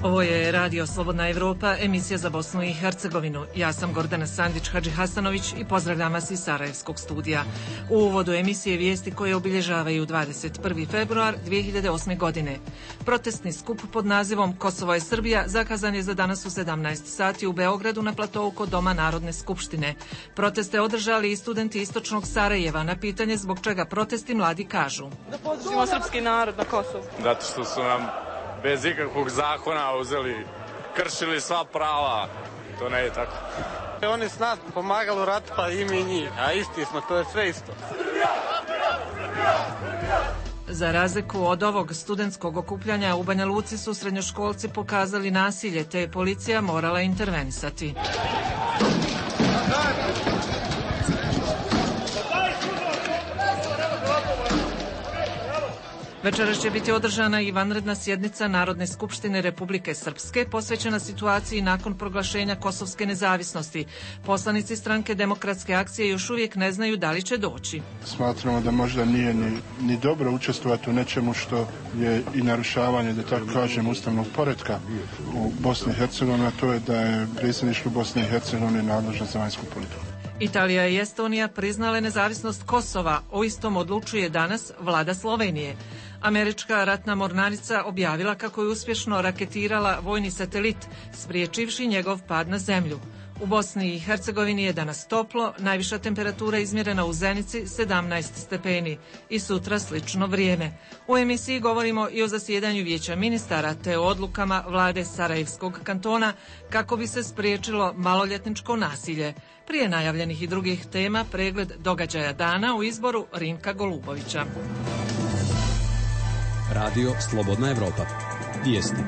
Ovo je Radio Slobodna Evropa, emisija za Bosnu i Hercegovinu. Ja sam Gordana Sandić-Hadžihasanović i pozdravljam vas iz Sarajevskog studija. U uvodu emisije vijesti koje obilježavaju 21. februar 2008. godine. Protestni skup pod nazivom Kosovo je Srbija zakazan je za danas u 17 sati u Beogradu na platovu kod Doma Narodne skupštine. Proteste održali i studenti istočnog Sarajeva. Na pitanje zbog čega protesti mladi kažu: da podržimo srpski narod na Kosovu. Zato što su nam bez ikakvog zakona uzeli, kršili sva prava. To ne je tako. Oni s nas pomagali u ratu, pa i mi njih, a isti smo, to je sve isto. Za razliku od ovog studentskog okupljanja u Banja Luci su srednjoškolci pokazali nasilje, te je policija morala intervenisati. Večeras će biti održana i vanredna sjednica Narodne skupštine Republike Srpske posvećena situaciji nakon proglašenja kosovske nezavisnosti. Poslanici stranke Demokratske akcije još uvijek ne znaju da li će doći. Smatramo da možda nije ni dobro učestvovati u nečemu što je i narušavanje, da tako kažem, ustavnog poretka u Bosni i Hercegovini, a to je da je predsjedništvo Bosne i Hercegovine nadležno za vanjsku politiku. Italija i Estonija priznale nezavisnost Kosova. O istom odlučuje danas vlada Slovenije. Američka ratna mornarica objavila kako je uspješno raketirala vojni satelit, spriječivši njegov pad na zemlju. U Bosni i Hercegovini je danas toplo, najviša temperatura izmjerena u Zenici 17 stepeni i sutra slično vrijeme. U emisiji govorimo i o zasjedanju vijeća ministara te o odlukama vlade Sarajevskog kantona kako bi se spriječilo maloljetničko nasilje. Prije najavljenih i drugih tema pregled događaja dana u izboru Rinka Golubovića. Radio Slobodna Evropa. Vijesti.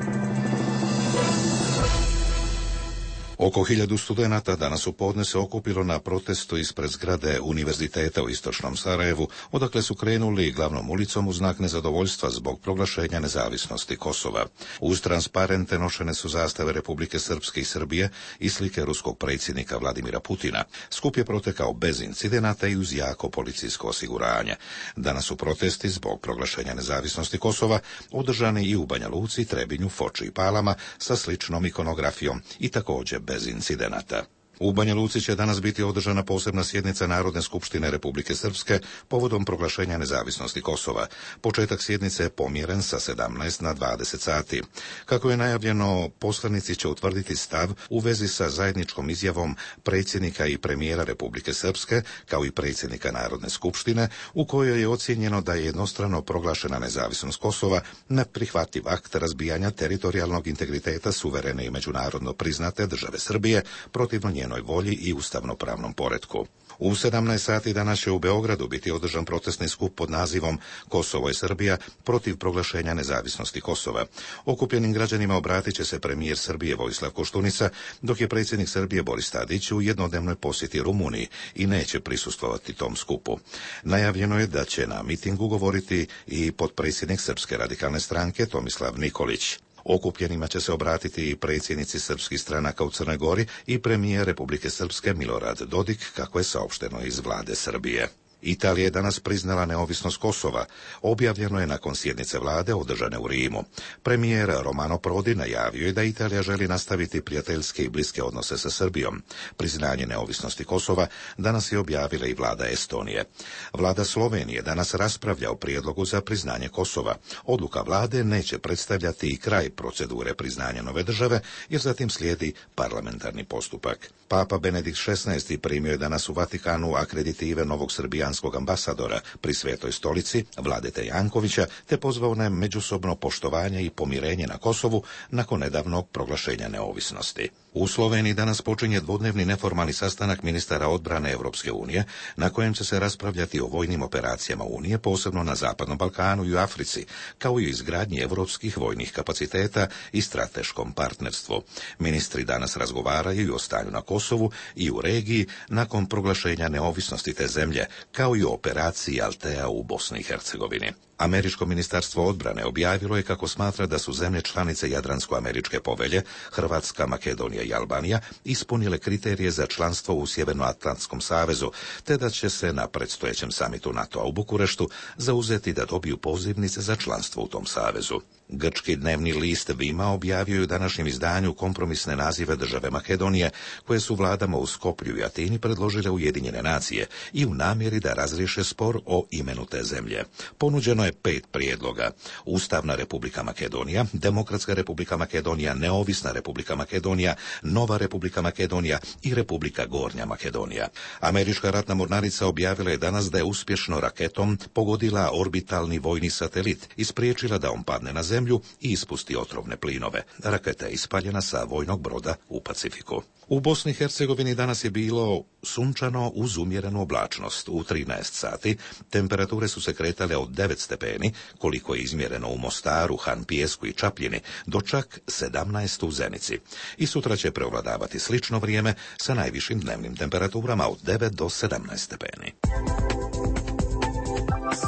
Oko 1000 studenata danas u podne se okupilo na protestu ispred zgrade Univerziteta u istočnom Sarajevu, odakle su krenuli glavnom ulicom u znak nezadovoljstva zbog proglašenja nezavisnosti Kosova. Uz transparente nošene su zastave Republike Srpske i Srbije i slike ruskog predsjednika Vladimira Putina. Skup je protekao bez incidenata i uz jako policijsko osiguranje. Danas su protesti zbog proglašenja nezavisnosti Kosova održani i u Banja Luci, Trebinju, Foči i Palama sa sličnom ikonografijom i također bez incidenata. U Banja Luci će danas biti održana posebna sjednica Narodne skupštine Republike Srpske povodom proglašenja nezavisnosti Kosova. Početak sjednice je pomjeren sa 17 na 20 sati. Kako je najavljeno, poslanici će utvrditi stav u vezi sa zajedničkom izjavom predsjednika i premijera Republike Srpske, kao i predsjednika Narodne skupštine, u kojoj je ocijenjeno da je jednostrano proglašena nezavisnost Kosova neprihvatljiv akt razbijanja teritorijalnog integriteta suverene i međunarodno priznate države Srbije protivno njenoj volji i ustavnopravnom poretku. U 17 sati danas će u Beogradu biti održan protestni skup pod nazivom Kosovo je Srbija protiv proglašenja nezavisnosti Kosova. Okupljenim građanima obratit će se premijer Srbije Vojislav Koštunica, dok je predsjednik Srbije Boris Tadić u jednodnevnoj posjeti Rumuniji i neće prisustvovati tom skupu. Najavljeno je da će na mitingu govoriti i potpredsjednik Srpske radikalne stranke Tomislav Nikolić. Okupljenima će se obratiti i predsjednici srpskih stranaka u Crnoj Gori i premijer Republike Srpske Milorad Dodik, kako je saopšteno iz vlade Srbije. Italija je danas priznala neovisnost Kosova. Objavljeno je nakon sjednice vlade održane u Rimu. Premijer Romano Prodi najavio je da Italija želi nastaviti prijateljske i bliske odnose sa Srbijom. Priznanje neovisnosti Kosova danas je objavila i vlada Estonije. Vlada Slovenije danas raspravlja o prijedlogu za priznanje Kosova. Odluka vlade neće predstavljati i kraj procedure priznanja nove države, jer zatim slijedi parlamentarni postupak. Papa Benedikt XVI primio je danas u Vatikanu akreditive novog srbijanskog ambasadora pri Svetoj stolici, Vladete Jankovića, te pozvao na međusobno poštovanje i pomirenje na Kosovu nakon nedavnog proglašenja neovisnosti. U Sloveniji danas počinje dvodnevni neformalni sastanak ministara odbrane Europske unije, na kojem će se raspravljati o vojnim operacijama Unije, posebno na Zapadnom Balkanu i u Africi, kao i o izgradnji europskih vojnih kapaciteta i strateškom partnerstvu. Ministri danas razgovaraju i o stanju na Kosovu i u regiji nakon proglašenja neovisnosti te zemlje, kao i o operaciji Altea u Bosni i Hercegovini. Američko ministarstvo odbrane objavilo je kako smatra da su zemlje članice Jadransko-američke povelje, Hrvatska, Makedonija i Albanija, ispunile kriterije za članstvo u Sjevernoatlantskom savezu, te da će se na predstojećem samitu NATO-a u Bukureštu zauzeti da dobiju pozivnice za članstvo u tom savezu. Grčki dnevni list Vima objavio je u današnjem izdanju kompromisne nazive države Makedonije, koje su vladama u Skoplju i Atini predložile Ujedinjene nacije i u namjeri da razriješe spor o imenu te zemlje. Ponuđeno je 5 prijedloga: Ustavna Republika Makedonija, Demokratska Republika Makedonija, Neovisna Republika Makedonija, Nova Republika Makedonija i Republika Gornja Makedonija. Američka ratna mornarica objavila je danas da je uspješno raketom pogodila orbitalni vojni satelit i spriječila da on padne na zemlju i ispusti otrovne plinove. Raketa je ispaljena sa vojnog broda u Pacifiku. U Bosni i Hercegovini danas je bilo sunčano uz umjerenu oblačnost. U 13 sati temperature su se kretale od 9 stepeni, koliko je izmjereno u Mostaru, Han Pijesku i Čapljini, do čak 17 u Zenici. I sutra će prevladavati slično vrijeme sa najvišim dnevnim temperaturama od 9 do 17 stepeni.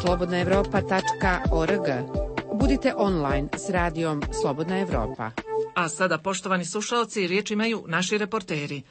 slobodnaevropa.org. Budite online s radijom Slobodna Evropa. A sada, poštovani slušalci, riječ imaju naši reporteri.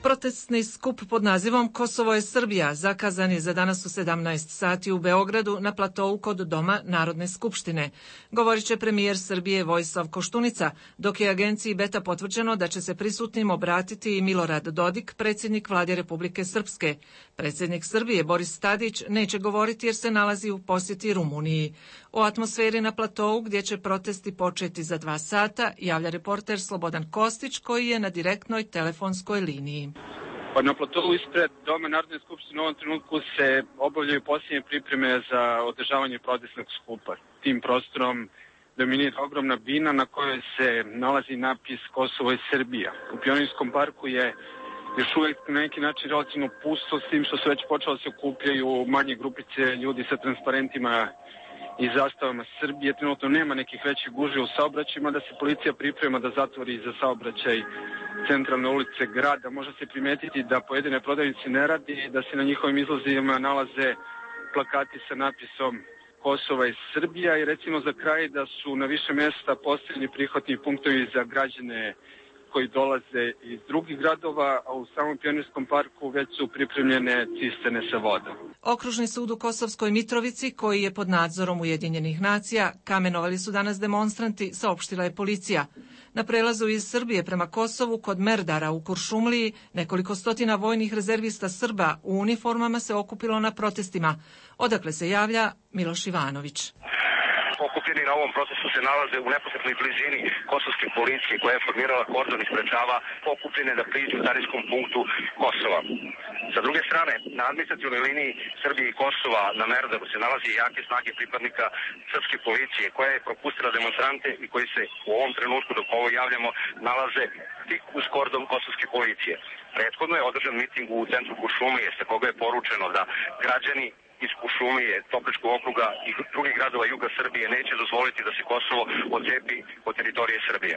Protestni skup pod nazivom Kosovo je Srbija zakazan je za danas u 17 sati u Beogradu na platovu kod Doma Narodne skupštine. Govorit će premijer Srbije Vojislav Koštunica, dok je agenciji Beta potvrđeno da će se prisutnim obratiti i Milorad Dodik, predsjednik Vlade Republike Srpske. Predsjednik Srbije Boris Tadić neće govoriti jer se nalazi u posjeti Rumuniji. O atmosferi na platovu gdje će protesti početi za 2 sata javlja reporter Slobodan Kostić koji je na direktnoj telefonskoj liniji. Na platovu ispred Doma Narodne skupštine u ovom trenutku se obavljaju posljednje pripreme za održavanje protestnog skupa. Tim prostorom dominira ogromna bina na kojoj se nalazi napis Kosovo je Srbija. U Pionirskom parku je još uvijek na neki način relativno pusto, s tim što se već počelo se okupljaju manje grupice ljudi sa transparentima i zastavama Srbije. Trenutno nema nekih većih gužvi u saobraćajima, da se policija priprema da zatvori za saobraćaj centralne ulice grada. Može se primetiti da pojedine prodavnice ne radi, da se na njihovim izlazima nalaze plakati sa napisom Kosova i Srbija i recimo za kraj da su na više mjesta postavljeni prihvatni punktovi za građane koji dolaze iz drugih gradova, a u samom Pionirskom parku već su pripremljene cisterne sa vodom. Okružni sud u Kosovskoj Mitrovici, koji je pod nadzorom Ujedinjenih nacija, kamenovali su danas demonstranti, saopštila je policija. Na prelazu iz Srbije prema Kosovu kod Merdara u Kuršumliji nekoliko stotina vojnih rezervista Srba u uniformama se okupilo na protestima. Odakle se javlja Miloš Ivanović. Okupljeni na ovom procesu se nalaze u neposrednoj blizini kosovske policije koja je formirala kordon i sprečava okupljene da priđu carinskom punktu Kosova. Sa druge strane, na administrativnoj liniji Srbije i Kosova na Merdaru se nalazi jake snage pripadnika srpske policije koja je propustila demonstrante i koji se u ovom trenutku dok ovo javljamo nalaze tik uz kordon kosovske policije. Prethodno je održan miting u centru Kuršumlije sa koga je poručeno da građani iz Kuršumlije, Topličkog okruga i drugih gradova juga Srbije neće dozvoliti da se Kosovo odcepi od teritorije Srbije.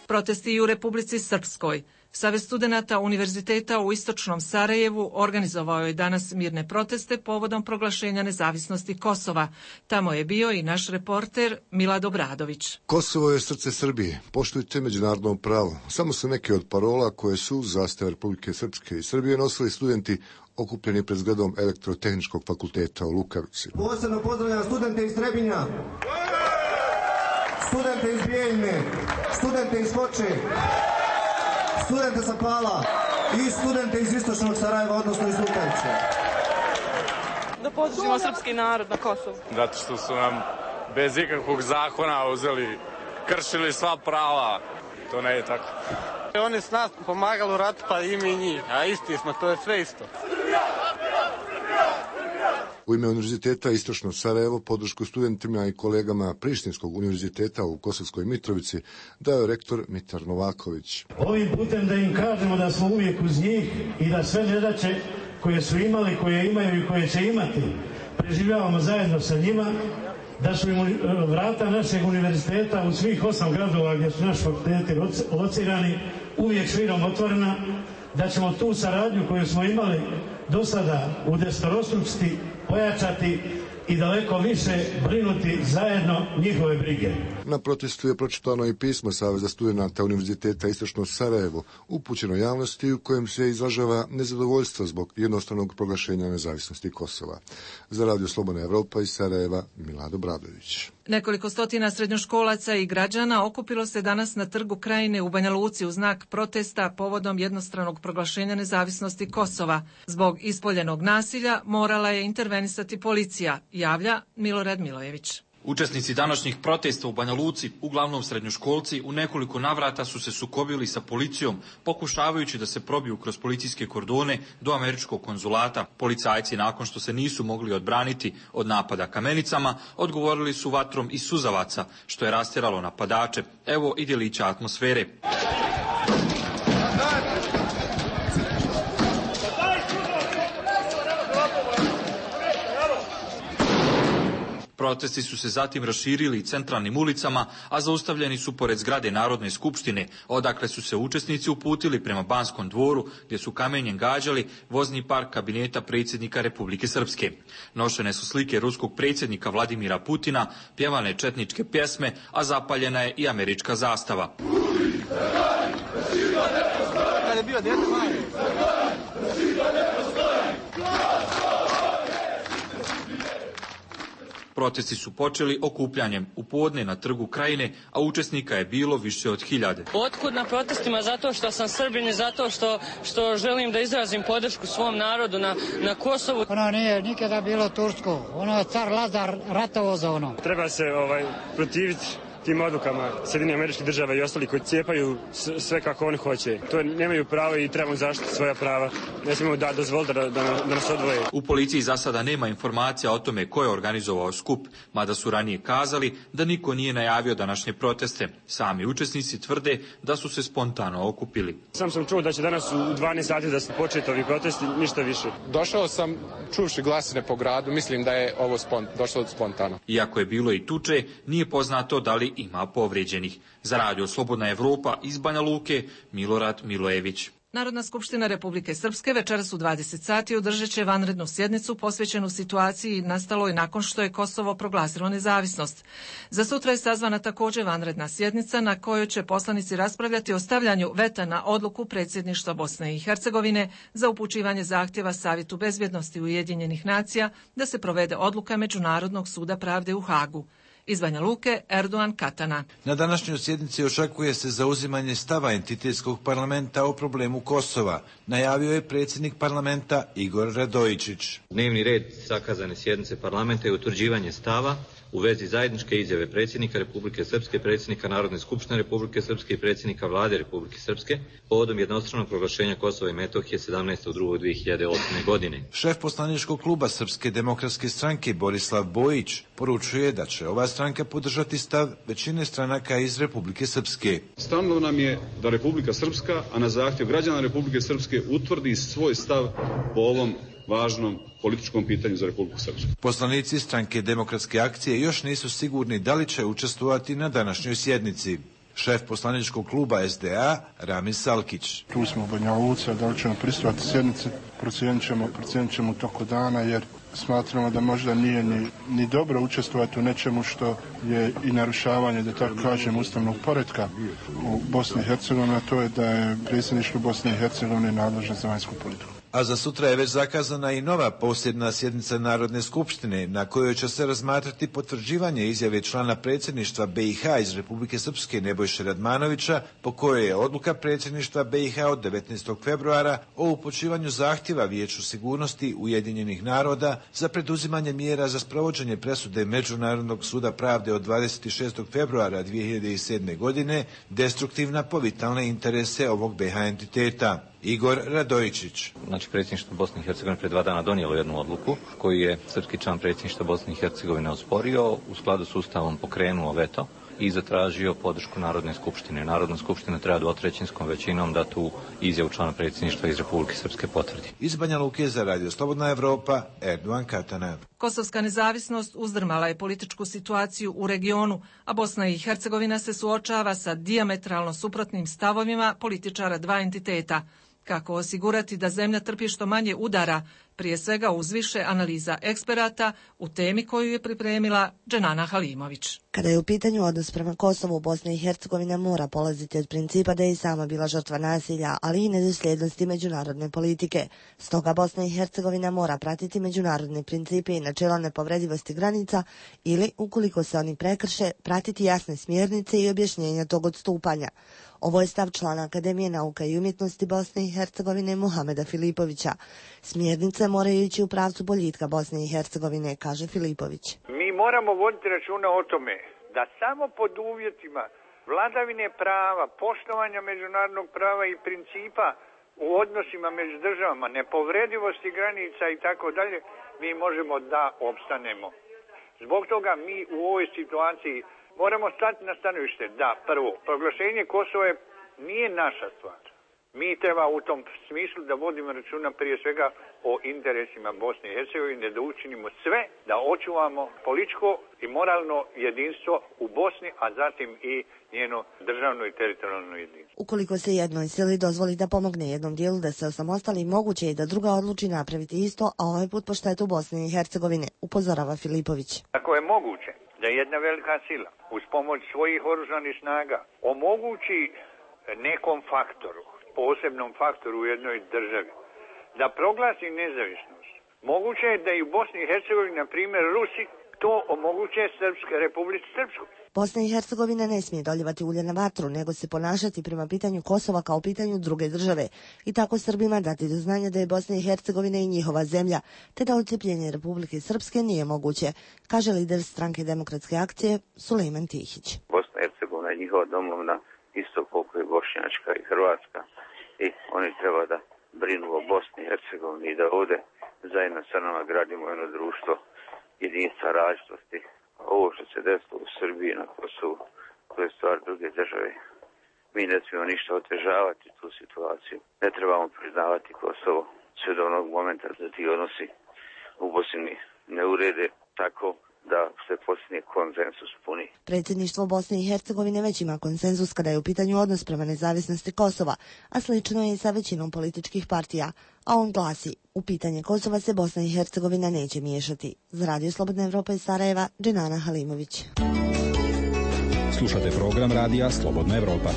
Protesti i u Republici Srpskoj. Savez studenata Univerziteta u Istočnom Sarajevu organizovao je danas mirne proteste povodom proglašenja nezavisnosti Kosova. Tamo je bio i naš reporter Milad Obradović. Kosovo je srce Srbije. Poštujte međunarodno pravo. Samo su neke od parola koje su uz zastave Republike Srpske i Srbije nosili studenti okupljeni pred zgradom Elektrotehničkog fakulteta u Lukavici. Posebno pozdravljam studente iz Trebinja, studente iz Bijeljne, studente iz Foče, studente sa Pala i studente iz Istočnog Sarajeva, odnosno iz Lukavice. Da podržimo srpski narod na Kosovu. Zato što su nam bez ikakvog zakona uzeli, kršili sva prava. To ne je tako. Oni s nas pomagali u ratu, pa i mi njih, a isti smo, to je sve isto. U ime Univerziteta Istočno Sarajevo podršku studentima i kolegama Prištinskog univerziteta u Kosovskoj Mitrovici dao je rektor Mitar Novaković. Ovim putem da im kažemo da smo uvijek uz njih i da sve nedaće koje su imali, koje imaju i koje će imati, preživljavamo zajedno sa njima, da su im vrata našeg univerziteta u svih 8 gradova gdje su naši fakulteti locirani uvijek širom otvorena, da ćemo tu saradnju koju smo imali do sada udesetostručiti, pojačati i daleko više brinuti zajedno njihove brige. Na protestu je pročitano i pismo Saveza studenata Univerziteta Istočno Sarajevo, upućeno javnosti u kojem se izražava nezadovoljstvo zbog jednostranog proglašenja nezavisnosti Kosova. Za Radio Slobodna Evropa iz Sarajeva, Milado Bradović. Nekoliko stotina srednjoškolaca i građana okupilo se danas na Trgu Krajine u Banja Luci u znak protesta povodom jednostranog proglašenja nezavisnosti Kosova. Zbog ispoljenog nasilja morala je intervenisati policija, javlja Milorad Milojević. Učesnici današnjih protesta u Banja Luci, uglavnom srednjoškolci, u nekoliko navrata su se sukobili sa policijom, pokušavajući da se probiju kroz policijske kordone do američkog konzulata. Policajci, nakon što se nisu mogli odbraniti od napada kamenicama, odgovorili su vatrom iz suzavaca, što je rastjeralo napadače. Evo i djelića atmosfere. Protesti su se zatim raširili centralnim ulicama, a zaustavljeni su pored zgrade Narodne skupštine, odakle su se učesnici uputili prema Banskom dvoru, gdje su kamenjem gađali vozni park kabineta predsjednika Republike Srpske. Nošene su slike ruskog predsjednika Vladimira Putina, pjevane četničke pjesme, a zapaljena je i američka zastava. Protesti su počeli okupljanjem u podne na Trgu Krajine, a učesnika je bilo više od 1000. Otkud na protestima? Zato što sam Srbin i zato što želim da izrazim podršku svom narodu na Kosovu. Ono nije nikada bilo tursko, ono je car Lazar ratovo za ono. Treba se protiviti tim odlukama Sjedinjenih Američkih Država i ostali koji cijepaju sve kako oni hoće. To nemaju pravo i trebamo zaštiti svoja prava. Ne smijemo dozvoliti da nas odvoje. U policiji za sada nema informacija o tome ko je organizovao skup, mada su ranije kazali da niko nije najavio današnje proteste. Sami učesnici tvrde da su se spontano okupili. Sam čuo da će danas u 12 sati da se početi ovi protesti, ništa više. Došao sam čuvši glasine po gradu, mislim da je ovo došlo spontano. Iako je bilo i tuče, nije poznato da li ima povrijeđenih. Za Radio Slobodna Evropa iz Banja Luke, Milorad Milojević. Narodna skupština Republike Srpske večeras u 20 sati održat će vanrednu sjednicu posvećenu situaciji nastaloj nakon što je Kosovo proglasilo nezavisnost. Za sutra je sazvana također vanredna sjednica na kojoj će poslanici raspravljati o stavljanju veta na odluku predsjedništva Bosne i Hercegovine za upućivanje zahtjeva Savjetu bezbjednosti Ujedinjenih nacija da se provede odluka Međunarodnog suda pravde u Hagu. Iz Banja Luke, Erdogan Katana. Na današnjoj sjednici očekuje se zauzimanje stava entitetskog parlamenta o problemu Kosova, najavio je predsjednik parlamenta Igor Radojičić. Dnevni red zakazane sjednice parlamenta je utvrđivanje stava u vezi zajedničke izjave predsjednika Republike Srpske, predsjednika Narodne skupštine Republike Srpske i predsjednika Vlade Republike Srpske povodom jednostranog proglašenja Kosova i Metohije 17.2.2008. godine. Šef poslaničkog kluba Srpske demokratske stranke Borislav Bojić poručuje da će ova stranka podržati stav većine stranaka iz Republike Srpske. Stalo nam je da Republika Srpska, a na zahtjev građana Republike Srpske, utvrdi svoj stav po ovom važnom političkom pitanju za Republiku Srpsku. Poslanici stranke Demokratske akcije još nisu sigurni da li će učestvovati na današnjoj sjednici. Šef poslaničkog kluba SDA Ramis Salkić. Tu smo u Banja Luci, da li ćemo pristupati sjednici, procijenit ćemo u toku dana, jer smatramo da možda nije ni dobro učestvovati u nečemu što je i narušavanje, da tako kažem, ustavnog poretka u Bosni i Hercegovini, a to je da je predsjedništvo Bosne i Hercegovine nadležno za vanjsku politiku. A za sutra je već zakazana i nova posebna sjednica Narodne skupštine na kojoj će se razmatrati potvrđivanje izjave člana predsjedništva BiH iz Republike Srpske Nebojše Radmanovića, po kojoj je odluka predsjedništva BiH od 19. februara o upućivanju zahtjeva Vijeću sigurnosti Ujedinjenih naroda za preduzimanje mjera za sprovođenje presude Međunarodnog suda pravde od 26. februara 2007. godine destruktivna po vitalne interese ovog BiH entiteta. Igor Radojičić. Znači, predsjedništvo Bosne i Hercegovine pred 2 dana donijelo jednu odluku koju je srpski član predsjedništva Bosne i Hercegovine osporio, u skladu s Ustavom pokrenuo veto i zatražio podršku Narodne skupštine. Narodna skupština treba 2/3 većinom da tu izjavu člana predsjedništva iz Republike Srpske potvrdi. Iz Banja Luke za Radio Slobodna Evropa, Erdogan Katana. Kosovska nezavisnost uzdrmala je političku situaciju u regionu, a Bosna i Hercegovina se suočava sa dijametralno suprotnim stavovima političara dva entiteta. Kako osigurati da zemlja trpi što manje udara, prije svega uz više analiza eksperata u temi koju je pripremila Dženana Halimović. Kada je u pitanju odnos prema Kosovu, Bosna i Hercegovina mora polaziti od principa da je i sama bila žrtva nasilja, ali i nedosljednosti međunarodne politike. Stoga Bosna i Hercegovina mora pratiti međunarodne principe i načela nepovredivosti granica ili, ukoliko se oni prekrše, pratiti jasne smjernice i objašnjenja tog odstupanja. Ovo je stav člana Akademije nauka i umjetnosti Bosne i Hercegovine Muhameda Filipovića. Smjernice moraju ići u pravcu boljitka Bosne i Hercegovine, kaže Filipović. Mi moramo voditi računa o tome da samo pod uvjetima vladavine prava, poštovanja međunarodnog prava i principa u odnosima među državama, nepovredivosti granica i tako dalje, mi možemo da opstanemo. Zbog toga mi u ovoj situaciji moramo stati na stanovište da, prvo, proglašenje Kosova nije naša stvar. Mi treba u tom smislu da vodimo računa prije svega o interesima Bosne i Hercegovine, da učinimo sve da očuvamo političko i moralno jedinstvo u Bosni, a zatim i njeno državno i teritorijalno jedinstvo. Ukoliko se jednoj sili dozvoli da pomogne jednom dijelu da se osamostali, moguće je da druga odluči napraviti isto, a ovaj put po štetu Bosne i Hercegovine, upozorava Filipović. Ako je moguće da jedna velika sila uz pomoć svojih oružanih snaga omogući nekom faktoru, posebnom faktoru u jednoj državi, da proglasi nezavisnost, moguće je da i u Bosni i Hercegovini, na primjer Rusi, to omoguće Republici Srpskoj. Bosna i Hercegovina ne smije doljevati ulje na vatru, nego se ponašati prema pitanju Kosova kao pitanju druge države i tako Srbima dati do znanja da je Bosna i Hercegovina i njihova zemlja, te da odcepljenje Republike Srpske nije moguće, kaže lider stranke Demokratske akcije Sulejman Tihić. Bosna i Hercegovina je njihova domovina isto koliko je Bošnjačka i Hrvatska i oni treba da brinu o Bosni i Hercegovini i da ovdje zajedno sa nama gradimo jedno društvo jedinstva, različitosti. Ovo što se desilo u Srbiji na Kosovu, to je stvar druge države. Mi ne smijemo ništa otežavati tu situaciju. Ne trebamo priznavati Kosovo sve do onog momenta da ti odnosi u Bosni ne urede tako da se postigne konsenzus puni. Predsjedništvo Bosne i Hercegovine već ima konsenzus kada je u pitanju odnos prema nezavisnosti Kosova, a slično je i sa većinom političkih partija. A on glasi, u pitanje Kosova se Bosna i Hercegovina neće miješati. Za Radio Slobodna Evropa iz Sarajeva, Dženana Halimović. Slušate program Radija Slobodna Evropa.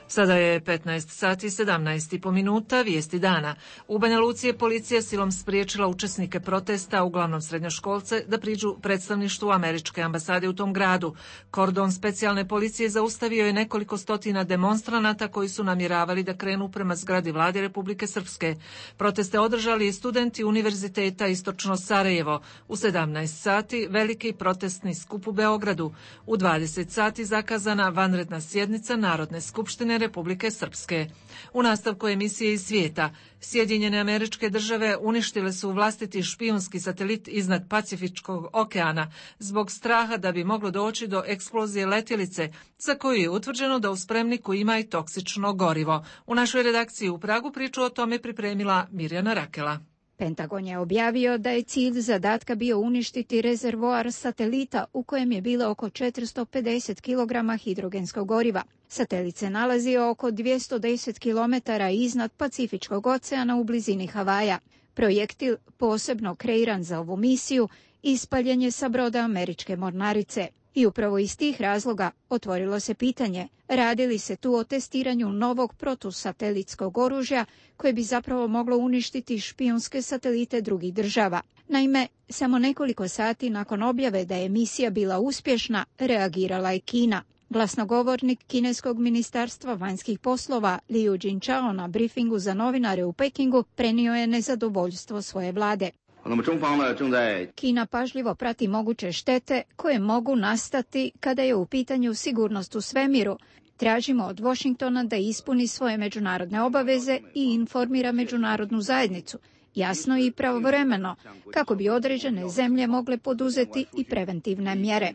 Sada je 15 sati 17,5 minuta, vijesti dana. U Banja Luci je policija silom spriječila učesnike protesta, uglavnom srednjoškolce, da priđu predstavništvu američke ambasade u tom gradu. Kordon specijalne policije zaustavio je nekoliko stotina demonstranata koji su namjeravali da krenu prema zgradi vlade Republike Srpske. Proteste održali i studenti Univerziteta Istočno Sarajevo. U 17 sati veliki protestni skup u Beogradu. U 20 sati zakazana vanredna sjednica Narodne skupštine Republike Srpske. U nastavku emisije iz svijeta, Sjedinjene Američke Države uništile su vlastiti špijunski satelit iznad Pacifičkog okeana zbog straha da bi moglo doći do eksplozije letjelice, za koju je utvrđeno da u spremniku ima i toksično gorivo. U našoj redakciji u Pragu priču o tome pripremila Mirjana Rakela. Pentagon je objavio da je cilj zadatka bio uništiti rezervoar satelita u kojem je bilo oko 450 kg hidrogenskog goriva. Satelit se nalazio oko 210 km iznad Pacifičkog oceana u blizini Havaja. Projektil, posebno kreiran za ovu misiju, ispaljen je sa broda američke mornarice. I upravo iz tih razloga otvorilo se pitanje, radi li se tu o testiranju novog protusatelitskog oružja koje bi zapravo moglo uništiti špijunske satelite drugih država. Naime, samo nekoliko sati nakon objave da je misija bila uspješna, reagirala je Kina. Glasnogovornik kineskog ministarstva vanjskih poslova Liu Jintao na briefingu za novinare u Pekingu prenio je nezadovoljstvo svoje vlade. Kina pažljivo prati moguće štete koje mogu nastati kada je u pitanju sigurnost u svemiru. Tražimo od Washingtona da ispuni svoje međunarodne obaveze i informira međunarodnu zajednicu. jasno i pravovremeno, kako bi određene zemlje mogle poduzeti i preventivne mjere.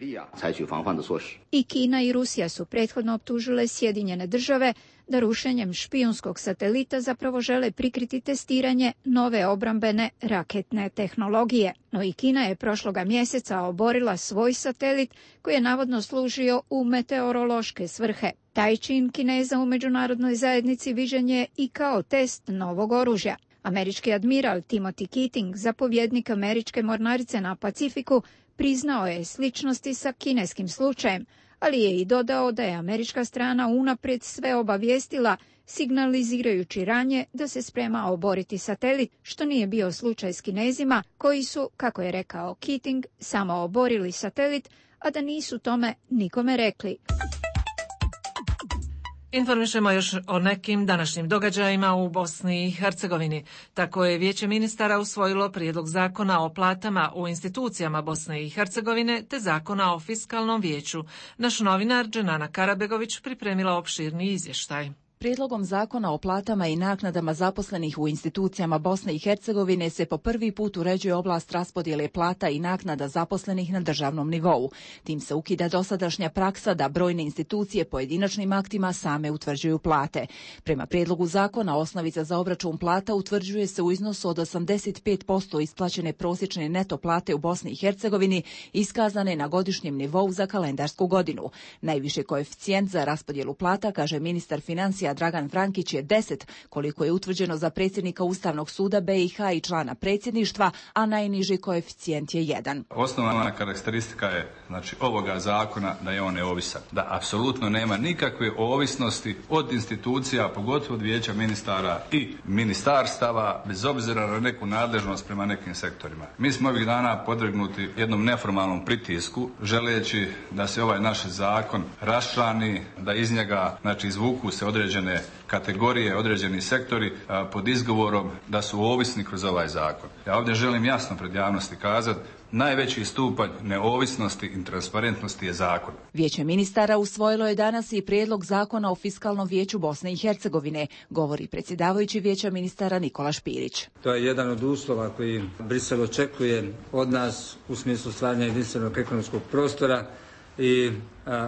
I Kina i Rusija su prethodno optužile Sjedinjene države da rušenjem špijunskog satelita zapravo žele prikriti testiranje nove obrambene raketne tehnologije. No i Kina je prošloga mjeseca oborila svoj satelit koji je navodno služio u meteorološke svrhe. Taj čin Kineza u međunarodnoj zajednici viđen je i kao test novog oružja. Američki admiral Timothy Keating, zapovjednik američke mornarice na Pacifiku, priznao je sličnosti sa kineskim slučajem, ali je i dodao da je američka strana unaprijed sve obavijestila, signalizirajući ranije da se sprema oboriti satelit, što nije bio slučaj s Kinezima, koji su, kako je rekao Keating, samo oborili satelit, a da nisu tome nikome rekli. Informišemo još o nekim današnjim događajima u Bosni i Hercegovini. Tako je Vijeće ministara usvojilo prijedlog zakona o platama u institucijama Bosne i Hercegovine te zakona o fiskalnom vijeću. Naš novinar Dženana Karabegović pripremila opširni izvještaj. Prijedlogom zakona o platama i naknadama zaposlenih u institucijama Bosne i Hercegovine se po prvi put uređuje oblast raspodjele plata i naknada zaposlenih na državnom nivou. Tim se ukida dosadašnja praksa da brojne institucije pojedinačnim aktima same utvrđuju plate. Prema prijedlogu zakona osnovica za obračun plata utvrđuje se u iznosu od 85% isplaćene prosječne neto plate u Bosni i Hercegovini iskazane na godišnjem nivou za kalendarsku godinu. Najviši koeficijent za raspodjelu plata, kaže ministar financija Dragan Frankić, je 10, koliko je utvrđeno za predsjednika Ustavnog suda BiH i člana predsjedništva, a najniži koeficijent je 1. Osnovna karakteristika je ovoga zakona da je on neovisan, da apsolutno nema nikakve ovisnosti od institucija, pogotovo od Vijeća ministara i ministarstava, bez obzira na neku nadležnost prema nekim sektorima. Mi smo ovih dana podvrgnuti jednom neformalnom pritisku, želeći da se ovaj naš zakon raščlani, da iz njega izvuku se određene kategorije, određeni sektori pod izgovorom da su ovisni kroz ovaj zakon. Ja ovdje želim jasno pred javnosti kazati, najveći stupanj neovisnosti i transparentnosti je zakon. Vijeće ministara usvojilo je danas i prijedlog zakona o fiskalnom vijeću Bosne i Hercegovine, govori predsjedavajući Vijeća ministara Nikola Špirić. To je jedan od uslova koji Brisel očekuje od nas u smislu stvaranja jedinstvenog ekonomskog prostora i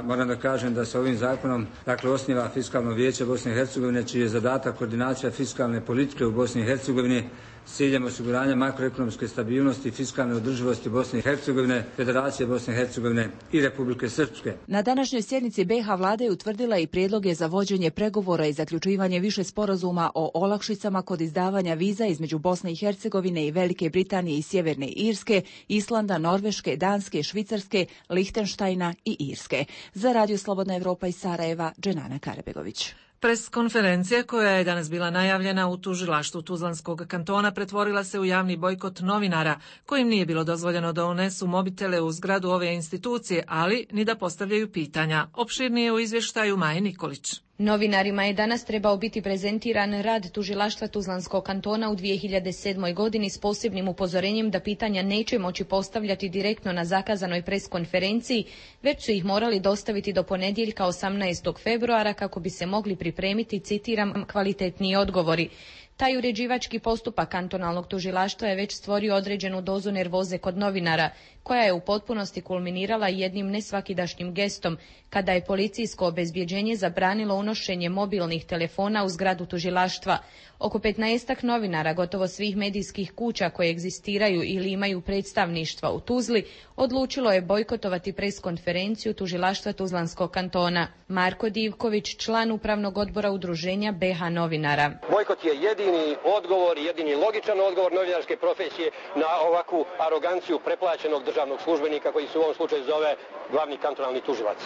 moram da kažem da se ovim zakonom osniva fiskalno vijeće Bosne i Hercegovine, čiji je zadatak koordinacija fiskalne politike u Bosni i Hercegovini s ciljem osiguranja makroekonomske stabilnosti i fiskalne održivosti Bosne i Hercegovine, Federacije Bosne i Hercegovine i Republike Srpske. Na današnjoj sjednici BiH vlada je utvrdila i prijedloge za vođenje pregovora i zaključivanje više sporazuma o olakšicama kod izdavanja viza između Bosne i Hercegovine i Velike Britanije i Sjeverne Irske, Islanda, Norveške, Danske, Švicarske, Lihtenštajna i Irske. Za Radio Slobodna Evropa iz Sarajeva, Dženana Karabegović. Preskonferencija koja je danas bila najavljena u tužilaštvu Tuzlanskog kantona pretvorila se u javni bojkot novinara, kojim nije bilo dozvoljeno da unesu mobitele u zgradu ove institucije, ali ni da postavljaju pitanja. Opširnije u izvještaju Maje Nikolić. Novinarima je danas trebao biti prezentiran rad tužilaštva Tuzlanskog kantona u 2007. godini s posebnim upozorenjem da pitanja neće moći postavljati direktno na zakazanoj preskonferenciji, već su ih morali dostaviti do ponedjeljka 18. februara kako bi se mogli pripremiti, citiram, kvalitetniji odgovori. Taj uređivački postupak kantonalnog tužilaštva je već stvorio određenu dozu nervoze kod novinara, koja je u potpunosti kulminirala jednim nesvakidašnjim gestom, kada je policijsko obezbjeđenje zabranilo unošenje mobilnih telefona u zgradu tužilaštva. Oko 15 novinara gotovo svih medijskih kuća koje egzistiraju ili imaju predstavništva u Tuzli odlučilo je bojkotovati preskonferenciju tužilaštva Tuzlanskog kantona. Marko Divković, član upravnog odbora udruženja BiH novinara. Bojkot je jedini odgovor, jedini logičan odgovor novinarske profesije na ovakvu aroganciju preplaćenog državnog službenika koji se u ovom slučaju zove glavni kantonalni tužilac.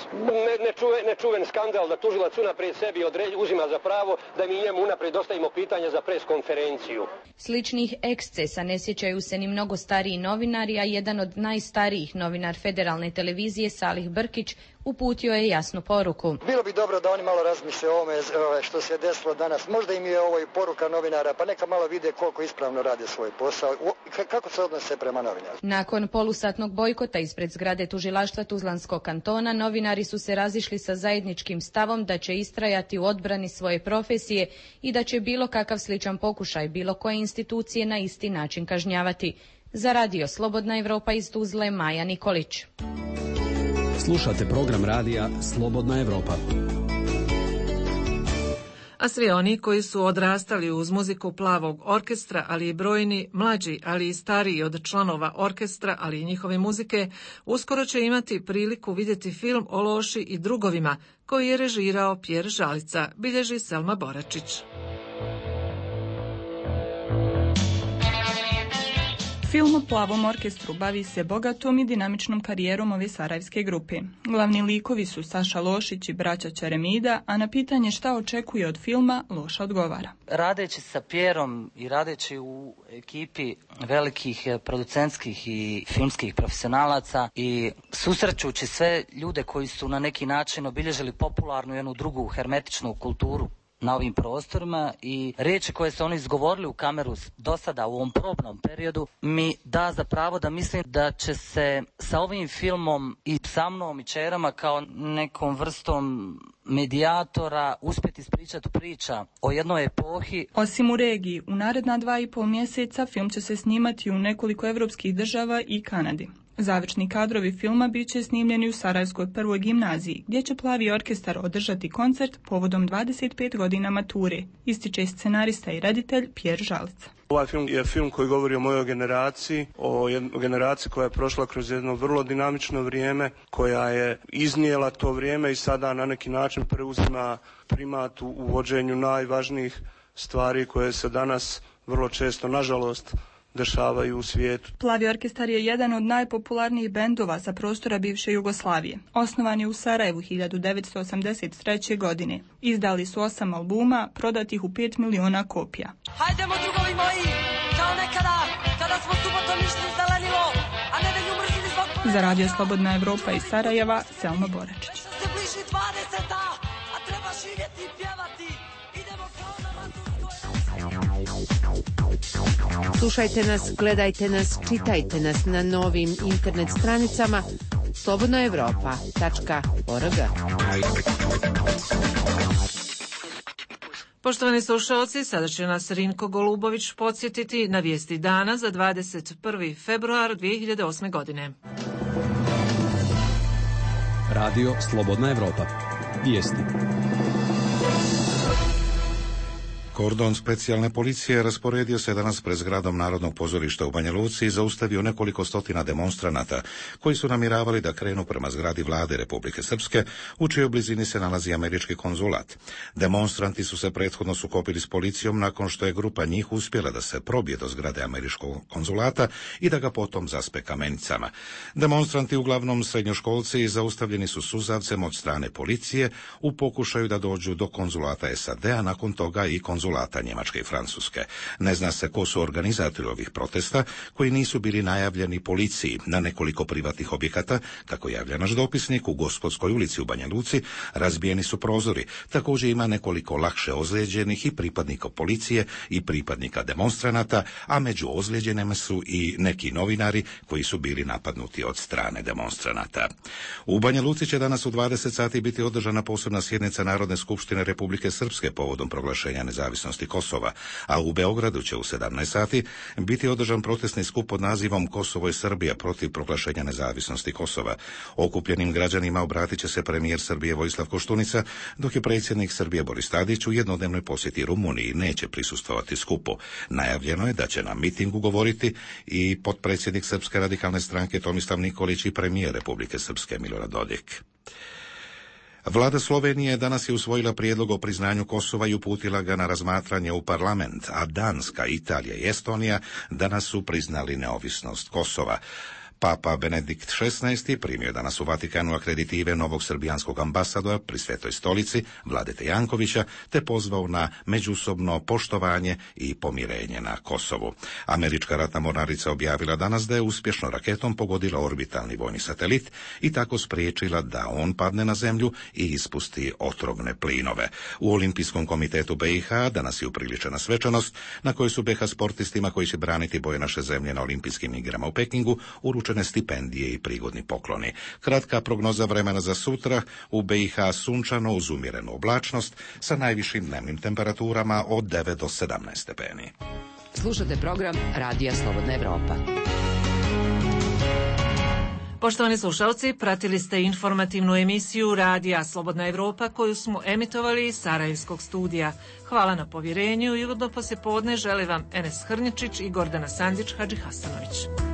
Nečuven skandal da tužilac unaprijed sebi uzima za pravo da mi njemu unaprijed dostavimo pitanja za preskonferenciju. Sličnih ekscesa ne sjećaju se ni mnogo stariji novinari, a jedan od najstarijih novinar Federalne televizije Salih Brkić uputio je jasnu poruku. Bilo bi dobro da oni malo razmisle o ovome što se desilo danas. Možda im je ovo i poruka novinara, pa neka malo vide koliko ispravno rade svoj posao. Kako se odnose prema novinarima? Nakon polusatnog bojkota ispred zgrade tužilaštva Tuzlanskog kantona, novinari su se razišli sa zajedničkim stavom da će istrajati u odbrani svoje profesije i da će bilo kakav sličan pokušaj bilo koje institucije na isti način kažnjavati. Za radio Slobodna Evropa iz Tuzle, Maja Nikolić. Slušate program radija Slobodna Evropa. A svi oni koji su odrastali uz muziku Plavog orkestra, ali i brojni mlađi, ali i stariji od članova orkestra, ali i njihove muzike, uskoro će imati priliku vidjeti film o Loši i drugovima, koji je režirao Pjer Žalica, bilježi Selma Boračić. Film o Plavom orkestru bavi se bogatom i dinamičnom karijerom ove sarajevske grupe. Glavni likovi su Saša Lošić i braća Čeremida, a na pitanje šta očekuje od filma, Loša odgovara. Radeći sa Pjerom i radeći u ekipi velikih producentskih i filmskih profesionalaca i susrećući sve ljude koji su na neki način obilježili popularnu i jednu drugu hermetičnu kulturu na ovim prostorima i riječi koje su oni izgovorili u kameru do sada u ovom probnom periodu mi da za pravo da mislim da će se sa ovim filmom i sa mnom i čerama kao nekom vrstom medijatora uspjeti ispričati priča o jednoj epohi. Osim u regiji, u naredna 2,5 mjeseca film će se snimati u nekoliko evropskih država i Kanadi. Završni kadrovi filma bit će snimljeni u Sarajevskoj prvoj gimnaziji, gdje će Plavi orkestar održati koncert povodom 25 godina mature, ističe scenarista i reditelj Pjer Žalica. Ovaj film je film koji govori o mojoj generaciji, o generaciji koja je prošla kroz jedno vrlo dinamično vrijeme, koja je iznijela to vrijeme i sada na neki način preuzima primat u vođenju najvažnijih stvari koje se danas vrlo često, nažalost, dešavaju u svijetu. Plavi orkestar je jedan od najpopularnijih bendova sa prostora bivše Jugoslavije. Osnovan je u Sarajevu 1983. godine. Izdali su 8 albuma, prodatih u 5 miliona kopija. Hajdemo drugovi moji, kao nekada, kada smo subotom išli zelenilo, a nedelju mrzili zbog... Za radio Slobodna Evropa iz Sarajeva, Selma Boračić. Se bliži 20-a, a treba živjeti i pjevati. Idemo kao na Slušajte nas, gledajte nas, čitajte nas na novim internet stranicama slobodnoevropa.org. Poštovani slušalci, sada će nas Rinko Golubović podsjetiti na vijesti dana za 21. februar 2008. godine. Radio Slobodna Evropa. Vijesti. Kordon specijalne policije rasporedio se danas pred zgradom Narodnog pozorišta u Banja Luci i zaustavio nekoliko stotina demonstranata koji su namjeravali da krenu prema zgradi vlade Republike Srpske, u čijoj blizini se nalazi američki konzulat. Demonstranti su se prethodno sukobili s policijom nakon što je grupa njih uspjela da se probije do zgrade američkog konzulata i da ga potom zaspe kamenicama. Demonstranti, uglavnom srednjoškolci, zaustavljeni su suzavcem od strane policije u pokušaju da dođu do konzulata SAD-a, nakon toga i konzulata Njemačke i Francuske. Ne zna se ko su organizatori ovih protesta, koji nisu bili najavljeni policiji. Na nekoliko privatnih objekata, kako javlja naš dopisnik, u Gospodskoj ulici u Banja Luci razbijeni su prozori. Također ima nekoliko lakše ozlijeđenih i pripadnika policije i pripadnika demonstranata, a među ozlijeđenima su i neki novinari koji su bili napadnuti od strane demonstranata. U Banja Luci će danas u 20 sati biti održana posebna sjednica Narodne skupštine Republike Srpske povodom proglašenja nezavisnosti Kosova, a u Beogradu će u 17 sati biti održan protestni skup pod nazivom Kosovo i Srbija protiv proglašenja nezavisnosti Kosova. Okupljenim građanima obratit će se premijer Srbije Vojislav Koštunica, dok je predsjednik Srbije Boris Tadić u jednodnevnoj posjeti Rumuniji neće prisustvovati skupu. Najavljeno je da će na mitingu govoriti i potpredsjednik Srpske radikalne stranke Tomislav Nikolić i premijer Republike Srpske Milorad Dodik. Vlada Slovenije danas je usvojila prijedlog o priznanju Kosova i uputila ga na razmatranje u parlament, a Danska, Italija i Estonija danas su priznali neovisnost Kosova. Papa Benedikt XVI primio je danas u Vatikanu akreditive novog srbijanskog ambasadora pri Svetoj stolici, Vladete Jankovića, te pozvao na međusobno poštovanje i pomirenje na Kosovu. Američka ratna mornarica objavila danas da je uspješno raketom pogodila orbitalni vojni satelit i tako spriječila da on padne na zemlju i ispusti otrovne plinove. U Olimpijskom komitetu BiH danas je upriličena svečanost na kojoj su BiH sportistima koji će braniti boje naše zemlje na Olimpijskim igrama u Pekingu uručene stipendije i prigodni pokloni. Kratka prognoza vremena za sutra: u BiH sunčano uz umjerenu oblačnost sa najvišim dnevnim temperaturama od 9 do 17 stepeni. Slušate program Radija Slobodna Evropa. Poštovani slušalci, pratili ste informativnu emisiju Radija Slobodna Evropa koju smo emitovali iz Sarajevskog studija. Hvala na povjerenju i ugodno poslijepodne žele vam Enes Hrničić i Gordana Sandić Hadžihasanović.